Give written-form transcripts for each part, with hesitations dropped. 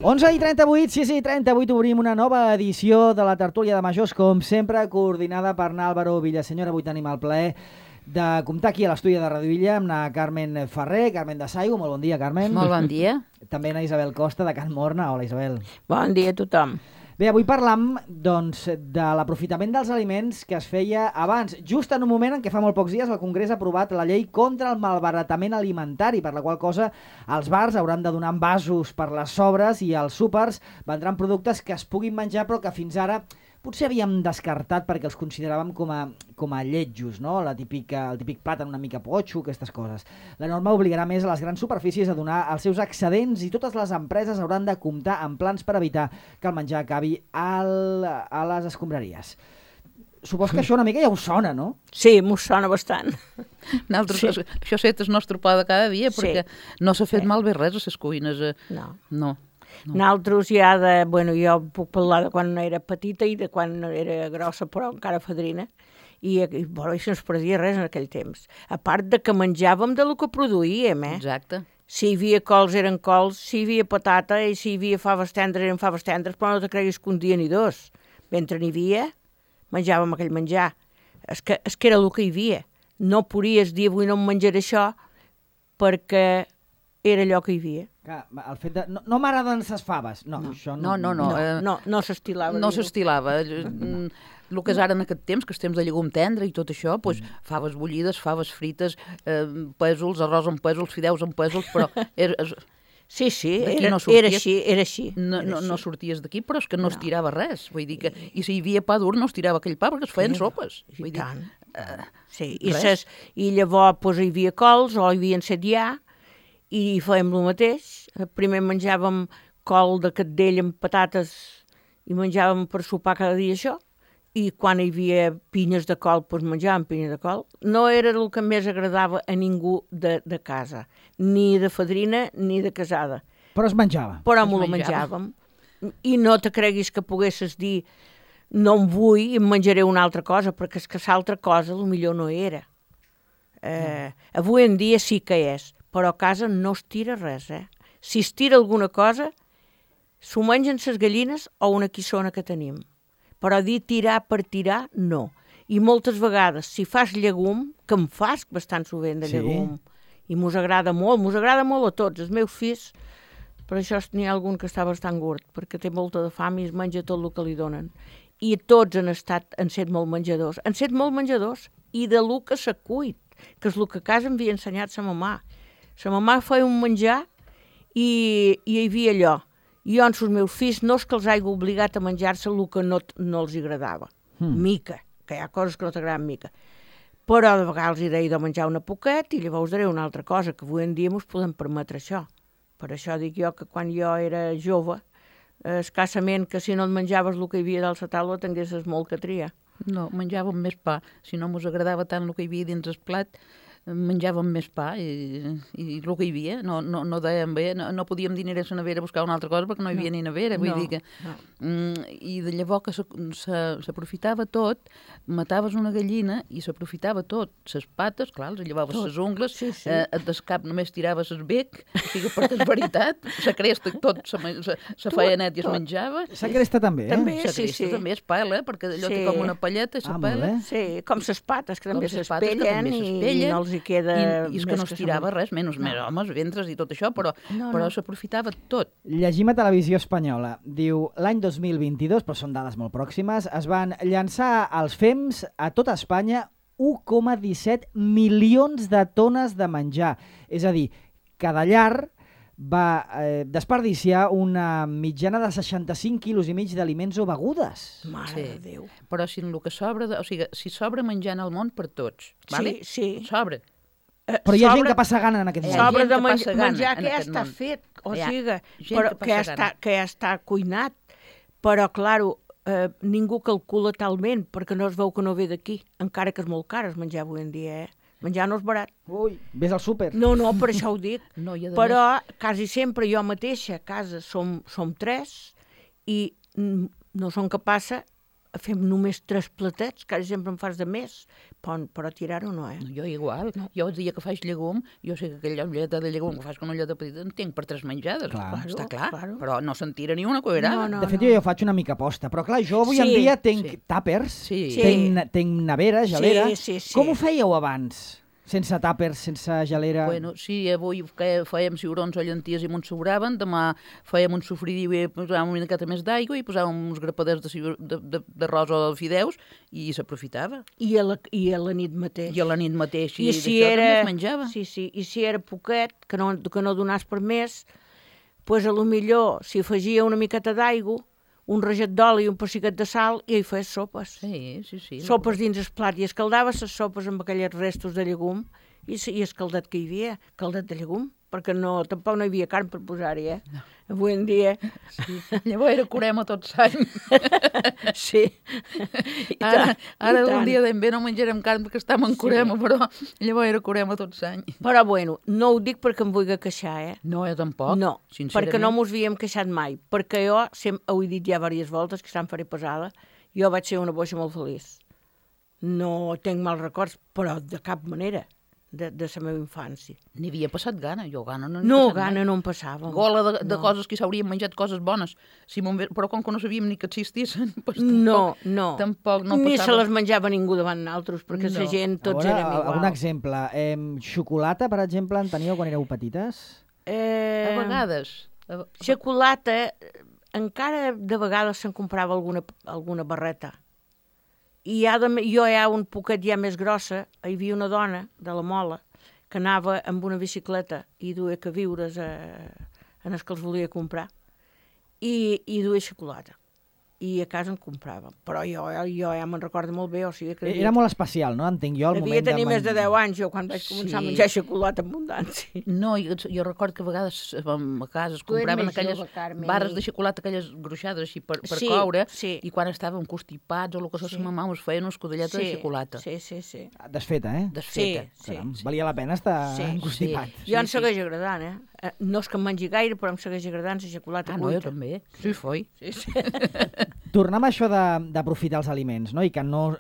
11:38, sí, 38, obrim una nova edició de la tertúlia de majors, com sempre, coordinada per Álvaro Villaseñor. Avui tenim el plaer de comptar aquí a l'estudi de Radio Illa amb la Carmen Ferrer, Carmen de Saigo. Molt bon dia, Carmen. Molt bon dia. També la Isabel Costa, de Can Morna. Hola, Isabel. Bon dia a tothom. Bé, avui parlam, doncs, de l'aprofitament dels aliments que es feia abans, just en un moment en què fa molt pocs dies el Congrés ha aprovat la llei contra el malbaratament alimentari, per la qual cosa els bars hauran de donar envasos per les sobres i els súpers vendran productes que es puguin menjar però que fins ara potser havíem descartat perquè els consideràvem com a lletjos, no? El típic plàtan una mica potxo, aquestes coses. La norma obligarà més a les grans superfícies a donar els seus excedents i totes les empreses hauran de comptar amb plans per evitar que el menjar acabi a les escombraries. Supos que això una mica ja us sona, no? Sí, m'ho sona bastant. Nosaltres, sí. Això és el nostre pa de cada dia, perquè no s'ha fet malbé res a les cuines. No. Nosaltres ja jo puc parlar de quan era petita i de quan era grossa, però encara fadrina, i això no es perdia res en aquell temps. A part de que menjàvem de lo que produïem, Exacte. Si hi havia cols eren cols, si hi havia patata i si hi havia faves tendres eren faves tendres, però no te creguis que un dia ni dos. Mentre n'hi havia, menjàvem aquell menjar. És que era el que hi havia. No podies dir avui no em menjaré això perquè era allò que hi havia. Clar, el fet de... No m'agraden les faves. Això no. No s'estilava. No s'estilava. El que és ara en aquest temps, que és temps de llegum tendre i tot això, doncs, faves bullides, faves frites, pèsols, arròs amb pèsols, fideus amb pèsols, però... Sí, era així. No sorties d'aquí, però és que no es tirava res. Vull dir que, i si hi havia pa dur, no es tirava aquell pa perquè es feien sopes. Vull dir, sí, i llavors hi havia cols o hi havia encetllà i fèiem el mateix. Primer menjàvem col de catdell amb patates i menjàvem per sopar cada dia això. I quan hi havia pinyes de col, doncs menjàvem pinyes de col. No era el que més agradava a ningú de casa, ni de fadrina ni de casada. Però es menjava. Però m'ho menjàvem. I no te creguis que poguessis dir no em vull i em menjaré una altra cosa, perquè és que l'altra cosa potser no era. Avui en dia sí que és, però a casa no es tira res. Si es tira alguna cosa, s'ho mengen les gallines o una quissona que tenim. Però dir tirar per tirar, no. I moltes vegades, si fas llegum, que em fas bastant sovint de llegum, i mos agrada molt a tots. Els meus fills, per això n'hi ha algun que està bastant gord, perquè té molta de fam i es menja tot el que li donen. I tots han set molt menjadors. Han set molt menjadors i de lo que s'ha cuit, que és el que a casa em havia ensenyat sa mamà. Sa mamà feia un menjar i hi havia allò. Jo amb els meus fills no és que els hagi obligat a menjar-se el que no els agradava. Mica, que hi ha coses que no t'agraden mica. Però de vegades hi deia de menjar una poquet i llavors daré una altra cosa, que avui en dia ens podem permetre això. Per això dic jo que quan jo era jove, escassament que si no et menjaves el que hi havia dalt la taula tinguessis molt que triar. No, menjàvem més pa. Si no ens agradava tant el que hi havia dins el plat, menjàvem més pa i el que hi havia. No dèiem bé, no podíem dir aniré a la nevera a buscar una altra cosa perquè no hi havia ni nevera. Vull dir que... I de llavors que s'aprofitava tot, mataves una gallina i s'aprofitava tot. Les pates, clar, els llevaves les ungles, del cap només tiraves el bec, o sigui, perquè és veritat, la cresta tot se feia net i es menjava. La cresta també, La cresta també es pela, perquè allò té com una palleta i se pela. Sí, com les pates, que també s'espellen i no els hi queda... I és que no es tirava res, menys homes, ventres i tot això, però s'aprofitava tot. Llegim a Televisió Espanyola. Diu, l'any 2022, però són dades molt pròximes, es van llançar als FEMS a tota Espanya 1,17 milions de tones de menjar. És a dir, cada llar va desperdiciar una mitjana de 65 quilos i mig d'aliments o begudes. Mare de Déu. Però si el que sobra, o sigui, si sobra menjar en el món per tots, vale? Sí. Sobra. Però hi ha gent que passa gana en aquest món. Sobra de menjar que ja està fet, o sigui, que ja està cuinat. Però, clar, ningú calcula talment, perquè no es veu que no ve d'aquí, encara que és molt car es menjar avui en dia, Menjar no és barat. Ui, ves al súper. No, per això ho dic. Però quasi sempre jo mateixa a casa som 3 i no som capaces fem només 3 platets, quasi sempre en fas de més, però tirar-ho no, Jo igual. No. Jo el dia que faig llegum, jo sé que aquella ulleta de llegum que fas con una ulleta petita en tinc per 3 menjades. Clar. Està clar. Claro. Però no se'n tira ni una cuerada. No. De fet, jo faig una mica posta, però clar, jo avui en dia tinc tàpers, tinc nevera, gelera. Sí. Com ho fèieu abans? Sense tàpers, sense gelera? Bueno, sí, avui fèiem ciurons o llenties i me'n sobraven, demà fèiem un sofridiu i posàvem una miqueta més d'aigua i posàvem uns grapaders d'arròs o fideus i s'aprofitava. I a la nit mateix. I a la nit mateix, I si d'això era, també es menjava. Sí, i si era poquet, que no donàs per més, doncs a lo millor s'hi afegia una miqueta d'aigua, un raget d'oli i un pessiquet de sal i hi feies sopes. Sí. Sopes dins el plat i escaldaves les sopes amb aquells restos de llegum i escaldat que hi havia, caldat de llegum, perquè tampoc no hi havia carn per posar-hi, No. Avui en dia... Sí. Llavors era curem a tot l'any. Sí. Ara un dia d'en bé no menjarem carn perquè estem en curema, però llavors era curem a tot l'any. Però bueno, no ho dic perquè em vulgui queixar, No, jo tampoc. No, perquè no mos havíem queixat mai. Perquè jo, ho he dit ja diverses voltes, que se'm faré pesada, jo vaig ser una boixa molt feliç. No tinc mals records, però de cap manera. De la meva infància. N'hi havia passat gana, jo gana no no em passava. Gola de coses que s'haurien menjat coses bones, però com que no sabíem ni que existissin, doncs tampoc no ni passava. se les menjava ningú davant nosaltres, perquè la gent tots érem igual. Un exemple, xocolata, per exemple, en teníeu quan éreu petites? A vegades. Xocolata, encara de vegades se'n comprava alguna barreta. I jo un poquet ja més grossa, hi havia una dona de la Mola que anava amb una bicicleta i duia queviures en els que els volia comprar i duia xocolata. I a casa en compràvem. Però jo ja me'n recordo molt bé. O sigui, que era molt especial, no? Entenc jo el moment de... Devia tenir més de 10 anys jo quan vaig començar a menjar xocolata en abundància. No, jo recordo que a vegades a casa es compraven aquelles barres de xocolata, aquelles gruixades així per coure, i quan estàvem constipats o el que se ma mama us feien una escudelleta de xocolata. Sí. Desfeta, Desfeta. Caram, valia la pena estar constipat. Jo em segueix agradant, No és que em mengi gaire, però em segueix agradant la xocolata cuita. No, jo també. Sí, foi. Tornem a això d'aprofitar els aliments, no? I que no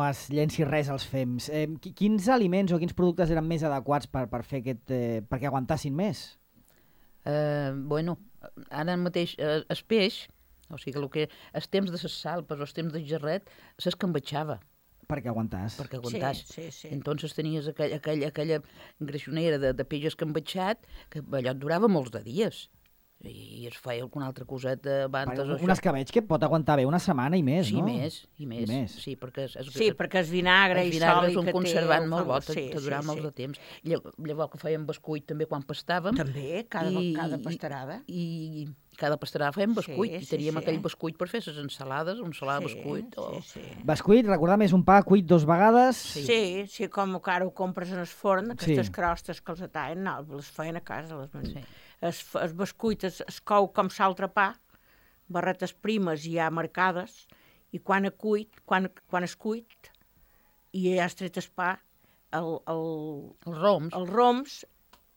es llenci res als fems. Quins aliments o quins productes eren més adequats per fer perquè aguantassin més? Bueno, ara mateix el peix, o sigui, els temps de les salpes o els temps de gerret, s'escambatxava. Perquè aguantàs. Sí. Entonces tenies aquella greixonera de peix escambatxat que allò et durava molts de dies. I es feia alguna altra coseta abans. Un escabetx que pot aguantar bé una setmana i més, no? I més. Sí, perquè el vinagre i sòlid que té... és un conservant molt bo, te durava molt de temps. Llavors que fèiem bescuit també quan pastàvem. També, cada pastarada. I cada pastarada fèiem bescuit, i teníem aquell bescuit per fer les ensalades, un salat bescuit. Bescuit, recordar més un pa cuit 2 vegades? Sí, com que ara ho compres en el forn, aquestes crostes que els atallen, les feien a casa, el bescuit es cou com l'altre pa, barretes primes ja marcades, i quan es cuit, i ja has tret el pa, els roms,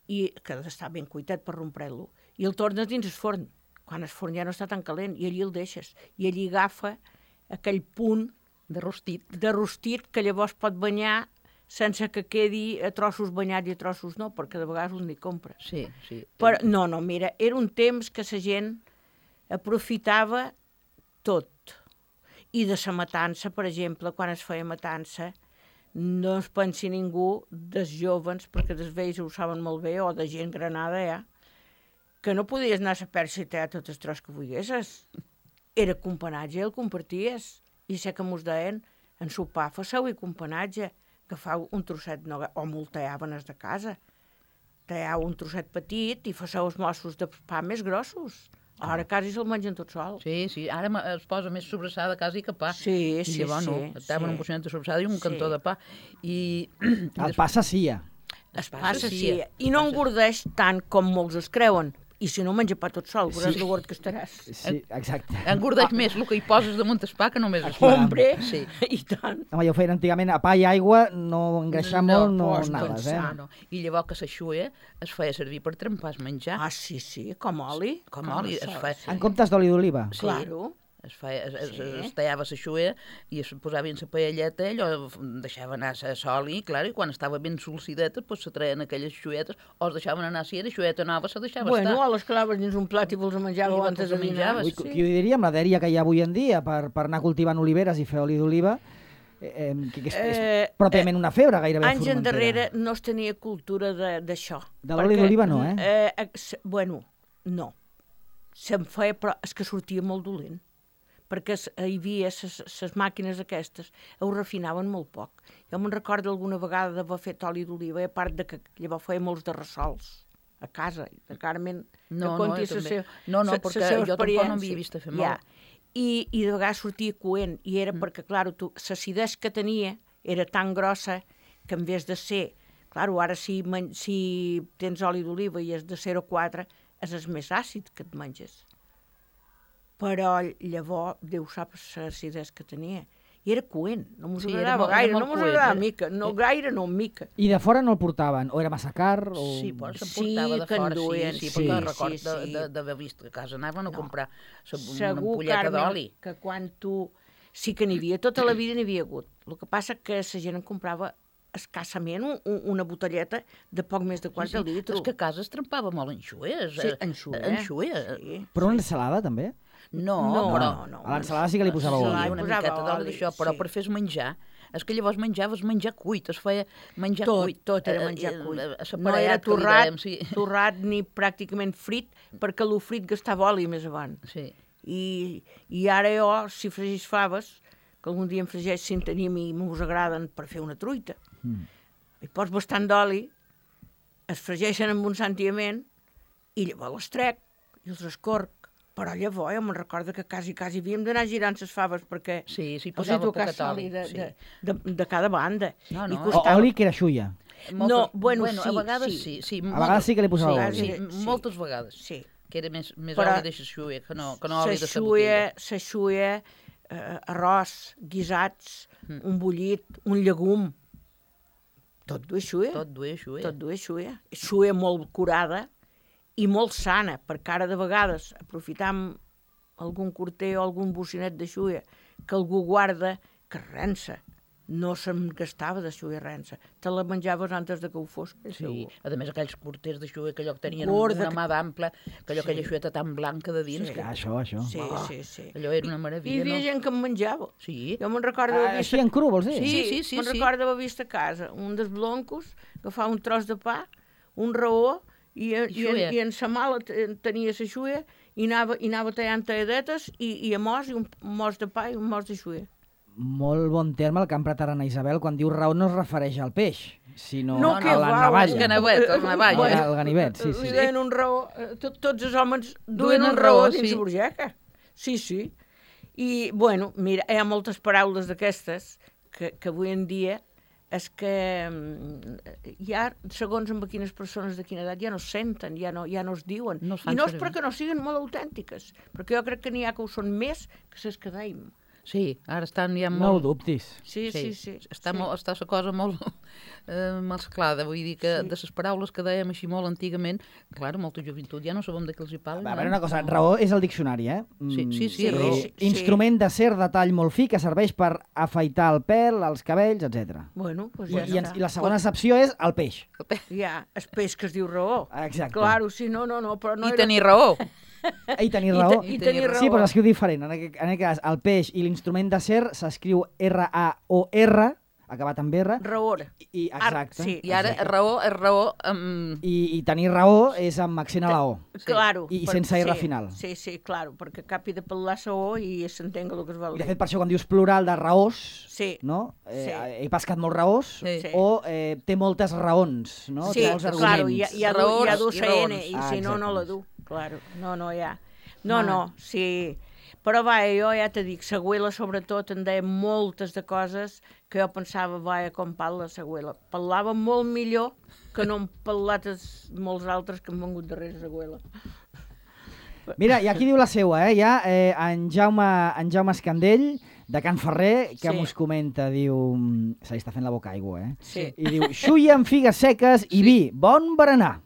i que ha d'estar ben cuitat per rompre-lo, i el tornes dins el forn, quan el forn ja no està tan calent, i allí el deixes, i allí agafa aquell punt de rostit que llavors pot banyar sense que quedi a trossos banyats i a trossos no, perquè de vegades un n'hi compra. Sí. Però, no, mira, era un temps que la gent aprofitava tot. I de la matança, per exemple, quan es feia matança, no es pensi ningú dels jovens, perquè dels vells ho saben molt bé, o de gent granada, que no podies anar a la perxa i tallar tot el tros que volguessis. Era companatge, el comparties. I sé que mos deien, en sopar faceu i companatge, agafau un trosset, o molt tallaven de casa, talleu un trosset petit i faceu els mossos de pa més grossos. Ara quasi se'l mengen tot sol. Sí, ara es posa més sobrassada quasi que pa. Sí. I llavors no, estaven un porcionet de sobrassada i un cantó de pa. El pa s'assia. Es pa s'assia. I no engordeix tant com molts es creuen. I si no menja pa tot sol, veuràs lo gord que estaràs. Sí, exacte. Engordeix més el que hi poses damunt el pa que només el pa. Hombre, i tant. Home, jo ho feien antigament a pa i aigua, no engreixar molt, no anaves, No. I llavors que s'aixuia es feia servir per trempar el menjar. Sí, com oli. Com oli. En comptes d'oli d'oliva? Claro. es tallava la xuea i es posava en la paelleta, allò deixava anar la sol i, clar, i quan estava ben solcideta, doncs se treien aquelles xuetes, o es deixaven anar, si era xueta nova, se deixava estar. O les claves dins un plat i vos menjàveu antes de dinar. Qui ho diria amb la dèria que hi ha avui en dia per anar cultivant oliveres i fer oli d'oliva, que és pròpiament una febre gairebé anys formentera. endarrere no es tenia cultura d'això. De l'oli d'oliva no, Bueno, no. Se'n feia, però és que sortia molt dolent. Perquè hi havia les màquines aquestes, ho refinaven molt poc. Jo me'n recordo alguna vegada d'haver fet oli d'oliva, a part de que llavors feia molts de ressols a casa, de Carmen, No, conti perquè jo tampoc no havia vist fer molt. I de vegades sortia coent, i era perquè, clar, l'acidesa que tenia era tan grossa que en vez de ser... Clar, ara si tens oli d'oliva i és de 0,4, és més àcid que et menges. Però llavors, Déu sap l'acidesa que tenia. I era coent, no m'ho agradava gaire, no m'ho agradava mica, no mica. I de fora no el portaven? O era massa car? Sí, però s'emportava de fora, sí, perquè record d'haver vist que a casa anaven a comprar una ampolleta d'oli. Segur, Carme, que quan tu... Sí que n'hi havia, tota la vida n'hi havia hagut. El que passa que la gent en comprava escassament una botelleta de poc més de 4 litres. És que a casa es trempava molt en xues. Sí, en xuea. Però una ensalada, també? No, però... A l'ensalada sí que li posava oli. Una miqueta d'oli d'això, però per fer menjar. És que llavors menjaves menjar cuit, es feia menjar cuit. Tot era menjar cuit. No era torrat ni pràcticament frit, perquè el frit gastava oli més avant. Sí. I ara jo, si fregís faves, que algun dia em fregeix, si en tenim i m'us agraden per fer una truita, hi pots bastant d'oli, es fregeixen amb un santiament, i llavors les trec i els escorc. Però llavors jo me'n recordo que quasi havíem d'anar girant les faves perquè posava poquet oli de cada banda. Oli que era xuia. No, bueno, a vegades sí. A vegades sí que li posava oli. Sí, moltes vegades. Sí. Que era més oli de xuia que no oli de la botella. La xuia, arròs, guisats, un bullit, un llegum, tot duia xuia. Tot duia xuia. Xuia molt curada i molt sana, perquè ara de vegades aprofitam algun corter o algun bocinet de xuia que algú guarda que rensa. No se'n gastava de xuia rensa. Te la menjaves antes de que ho fos. Sí, a més aquells corters de xuia que allò que tenien una mà d'ample, que allò aquella xueta tan blanca de dins. Això. Sí. Allò era una meravella. I hi havia gent que en menjava. Sí. Jo me'n recordo... Així en cru, vols dir? Sí. Me'n recordo haver vist a casa un dels bloncos, agafar un tros de pa, un raó, i en sa mala tenia la xuia, i anava tallant talladetes, i a mos, i un mos de pa i un mos de xuia. Molt bon terme el que ha emprat ara Anna Isabel quan diu raó no es refereix al peix, sinó a la navalla. El navalla. El ganivet, sí. Li deien un raó, tots els homes duien un raó dins la burgeca. Sí. I, bueno, mira, hi ha moltes paraules d'aquestes que avui en dia és que ja, segons amb quines persones de quina edat, ja no es senten, ja no es diuen. I no és perquè no siguin molt autèntiques, perquè jo crec que n'hi ha que ho són més que les que dèiem. Sí, ara estan ja molt... No ho dubtis. Sí. Està la cosa molt mesclada, vull dir que de les paraules que dèiem així molt antigament, clar, molta joventut ja no sabem de què els hi parlen. A veure, una cosa, raó és el diccionari, Sí, raó. Instrument d'acer de tall molt fi que serveix per afaitar el pèl, els cabells, etc. Bueno, doncs ja està. I la segona accepció és el peix. Ja, el peix que es diu raó. Exacte. Claro, sí, no, però no I tenir raó. I tenir raó. I tenir raó. Sí, però s'escriu diferent. En aquest cas, el peix i l'instrument d'acer s'escriu R-A-O-R, acabat amb R. Raor. Exacte. Sí. I ara raó és raó amb... I tenir raó és amb accent a la O. Claro. I sense R final. Sí, claro, perquè capi de pel·lar la O i s'entenga el que es vol dir. De fet, per això quan dius plural de raós, no? He pescat molt raós, o té moltes raons, no? Sí, té molts arguments. Claro, hi ha du N, i si no la du. Claro, no hi ha. No, sí. Però jo ja te dic, Sagüela sobretot en deia moltes de coses que jo pensava, com parla Sagüela. Parlava molt millor que no han parlat molts altres que han vengut darrere Sagüela. Mira, i aquí diu la seua, en Jaume Escandell de Can Ferrer, que Sí. mos comenta, diu... Se li està fent la boca aigua, Sí. I diu, xuia amb figues seques i vi, bon berenar.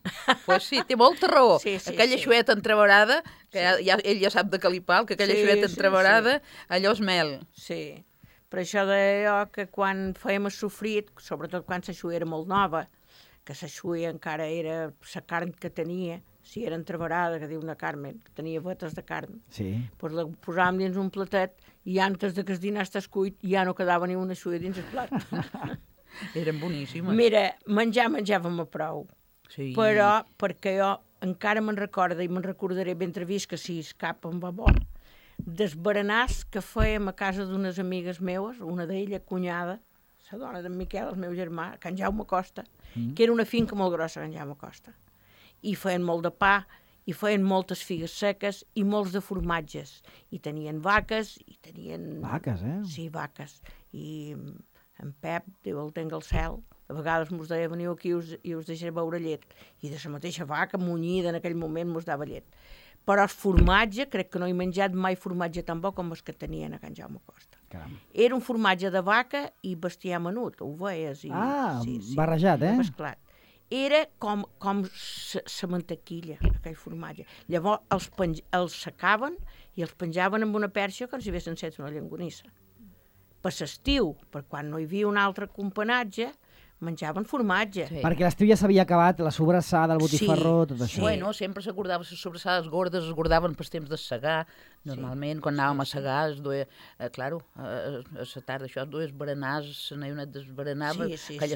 Pues sí, té molta raó. Sí, sí, Aquella sí. xueta entreverada, que ell ja sap de calipal, que aquella Sí, xueta sí, entreverada, allò és mel. Sí, per això deia jo que quan fèiem el sofrit, sobretot quan la xuia era molt nova, que la xuia encara era la carn que tenia, si era entreverada, que diu una Carmen, que tenia vetes de carn, Sí. doncs la posàvem dins un platet i antes de que el dinar estàs cuit ja no quedava ni una xuia dins el plat. Eren boníssimes. Mira, menjàvem a prou, Sí. però perquè jo encara me'n recordo i me'n recordaré ben trevist que si escapa em va bo, dels berenars que fèiem a casa d'unes amigues meues, una d'ella, cunyada, la dona d'en Miquel, el meu germà, Can Jaume Costa, que era una finca molt grossa, Can Jaume Costa. I feien molt de pa, i feien moltes figues seques i molts de formatges. I tenien vaques, i tenien... Vaques, Sí, vaques. I en Pep, Déu el tenga al cel, a vegades mos deia veniu aquí i us deixaré beure llet. I de la mateixa vaca, munyida en aquell moment, mos dava llet. Però el formatge, crec que no he menjat mai formatge tan bo com els que tenien a Can Jaume Costa. Caram. Era un formatge de vaca i bestiar menut, ovelles. I, barrejat, mesclat. Era com la mantequilla, aquell formatge. Llavors els secaven i els penjaven amb una perxa com si haguessin set una llonganissa. Per l'estiu, per quan no hi havia un altre companatge, menjaven formatge. Sí. Perquè l'estiu ja s'havia acabat, la sobrassada, el botifarró, tot això. Bueno, sempre s'acordava les sobrassades gordes, es guardaven pels temps de segar. Normalment, quan anàvem a segar, es duia, claro, a la tarda això es duia berenars, la neonet desberenava, aquell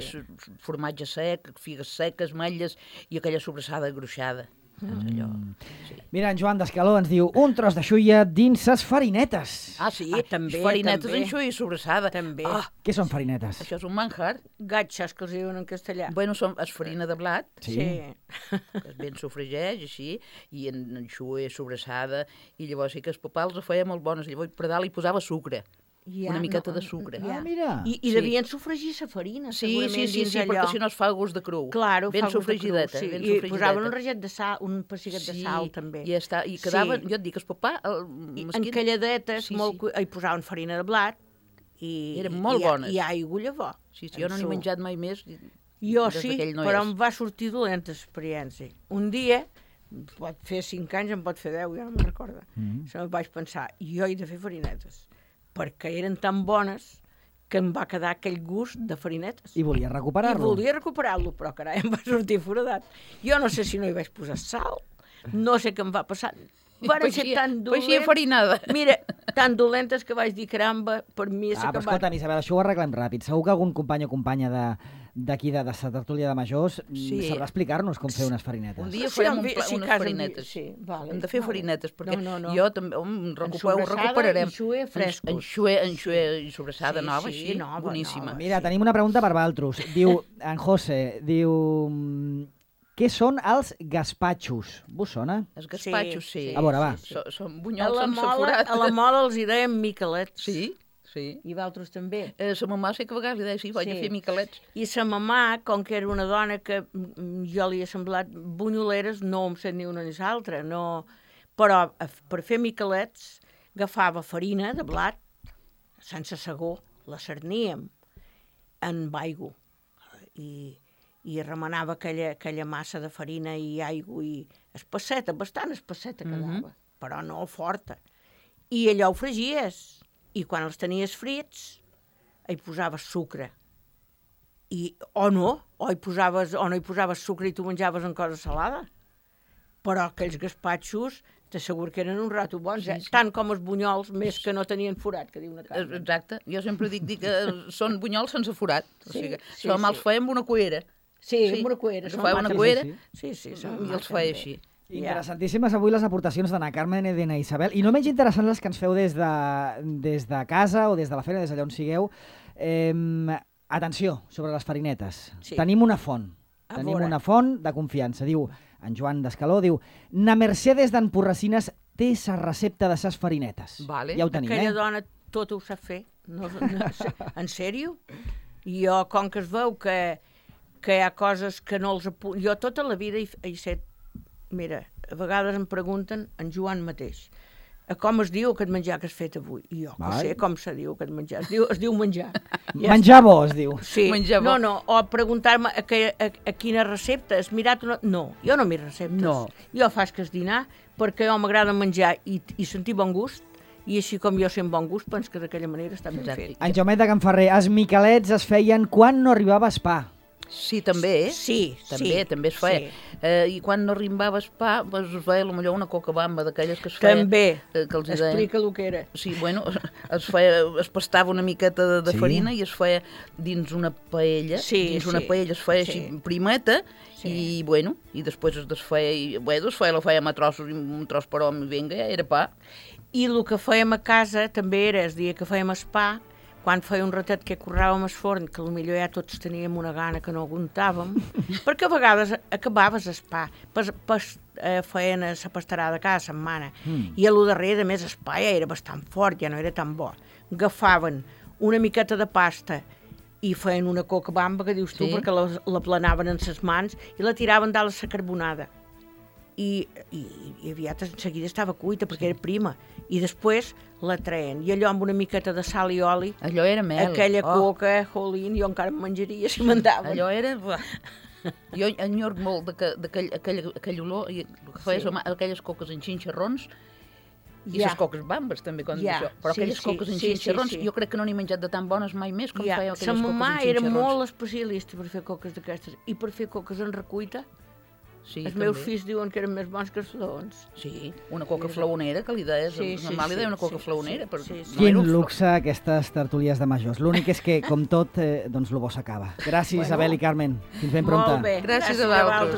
formatge sec, figues seques, malles i aquella sobrassada gruixada. Allò, sí. Mira, en Joan d'Escaló ens diu un tros de xuia dins ses farinetes. Ah, sí? També, farinetes també. en xuia i sobrassada. També. Ah, Què són farinetes? això és un manjar. Gatxes, que els diuen en castellà. Bueno, és farina de blat, Sí. que es ben sofregeix, així, i en xuia sobrassada, i llavors sí que els papals ho feia molt bones. Llavors per dalt hi posava sucre, una miqueta de sucre. Ah, mira. I devien sofregir la farina, segurament, dins allò. perquè si no es fa gust de cru. Claro, ben fa gust de cru, sofregideta, sí. ben I sofregideta. posaven un raget de sal, un pessigat de sal, també. I quedava, Sí. jo et dic, el papà... Encalladetes, hi posaven farina de blat, i Eren molt bones. I aigua llavor. Sí, jo no n'he menjat mai més. Jo des sí, d'aquell no però és. em va sortir dolenta l'experiència. Un dia, pot fer 5 anys, em pot fer 10, ja no me'n recordo. Se me'n vaig pensar, jo he de fer farinetes, perquè eren tan bones que em va quedar aquell gust de farinetes. I volia I recuperar-lo. volia recuperar-lo, però carai, em va sortir foradat. Jo no sé si no hi vaig posar sal, no sé què em va passar. Van ser tan Peixia farinada. Mira, tan dolentes que vaig dir, caramba, per mi s'ha Però acabat. escolta'm, Isabel, això ho arreglem ràpid. Segur que algun company o companya d'aquí de la tertúlia de majors sabrà explicar-nos com fer unes farinetes. Un dia Sí, farem sí, unes casa farinetes. sí, vale, Hem de fer vale. farinetes, perquè No. jo també ho sobrassada recuperarem. i xuer frescos. En xuer i sobrassada Sí, nova, sí, així, nova, boníssima. nova. Mira, tenim una pregunta per Valtros. Diu, en José, diu... Què són els gaspatxos? Vos sona? Els gaspatxos, sí. A veure, va. Són A bunyols la sense mola, forat. a la mola els hi deien miquelets. Sí, sí. I d'altres també. La mamà sé que a vegades li deia, sí, vaig a fer miquelets. I sa mamà, com que era una dona que jo li he semblat bunyoleres, no em sé ni una ni l'altra, no... Però per fer miquelets agafava farina de blat, sense segó, la cerníem en aigua i remenava aquella massa de farina i aigua i espesseta, bastant espesseta quedava, però no forta. I allò ho fregies, i quan els tenies frits hi posaves sucre. O no hi posaves sucre i tu menjaves en cosa salada. Però aquells gaspatxos t'asseguro que eren un rato bons, tant com els bunyols, més que no tenien forat, que diu una casa. Exacte. Jo sempre dic que són bunyols sense forat. O sigui, sí, els feien amb una cuera. Sí, amb una cuera. Agafava una cuera Sí, i els feia així. Interessantíssimes avui les aportacions d'Anna Carmen i d'Anna Isabel, i no menys interessants les que ens feu des de casa o des de la feina, des d'allà on sigueu. Atenció sobre les farinetes. Sí. Tenim una font. Tenim una font de confiança. Diu, en Joan d'Escaló, diu, na Mercedes d'Emporracines té sa recepta de ses farinetes. Vale. Ja ho tenim, Aquella dona tot ho sap fer. En sèrio? I jo, com que es veu que hi ha coses que no els apunto... Jo tota la vida he set... Mira, a vegades em pregunten, en Joan mateix, com es diu aquest menjar que has fet avui? I jo, que sé com se diu aquest menjar. Es diu menjar. Menjar bo, es diu. Sí, Menjar bo. no, o preguntar-me a quina recepta has mirat una... No, jo no m'hi receptes. No. Jo faig que és dinar perquè jo m'agrada menjar i sentir bon gust, i així com jo sent bon gust, penso que d'aquella manera està ben fet. En Jaumet de Can Ferrer, els miquelets es feien quan no arribava pa. Sí, també, Sí, també es feia. sí. I quan no rimbava pa, doncs es feia potser una cocabamba d'aquelles que es feia... També, que els deien. explica el que era. Sí, bueno, es pastava una miqueta de farina i es feia dins una paella, una paella es feia així primeta, i bueno, i després es desfeia, i bueno, la fèiem a trossos, i un tros per home, i vinga, ja era pa. I el que fèiem a casa també era, el dia que fèiem el pa, quan feia un ratet que curràvem el forn, que potser ja tots teníem una gana que no aguantàvem, perquè a vegades acabaves el pa, feien la pastarada cada setmana, i a lo darrere, a més, el pa ja era bastant fort, ja no era tan bo. Agafaven una miqueta de pasta i feien una cocabamba, que dius tu, perquè la planaven en les mans i la tiraven dalt a la carbonada. I aviat en seguida estava cuita perquè era prima, i després la treien, i allò amb una miqueta de sal i oli, allò era mel. aquella coca, jolín, jo encara em menjaria si mandaven. Allò era... Jo enyorc molt d'aquell olor, i el que feia aquelles coques en xinxarrons, i les coques bambes també, però aquelles coques en xinxarrons, jo crec que no n'he menjat de tan bones mai més com feia aquelles coques en xinxarrons. Sa mamà era molt especialista per fer coques d'aquestes, i per fer coques en recuita. Sí, els meus fills diuen que eren més bons que els flaons. Sí, una coca flaonera, que li deies, normal li deia una coca flaonera. Quin luxe aquestes tertúlies de majors. L'únic és que, com tot, doncs el bo s'acaba. Gràcies, Isabel i Carmen. Fins ben prompte. Molt bé, gràcies a vosaltres.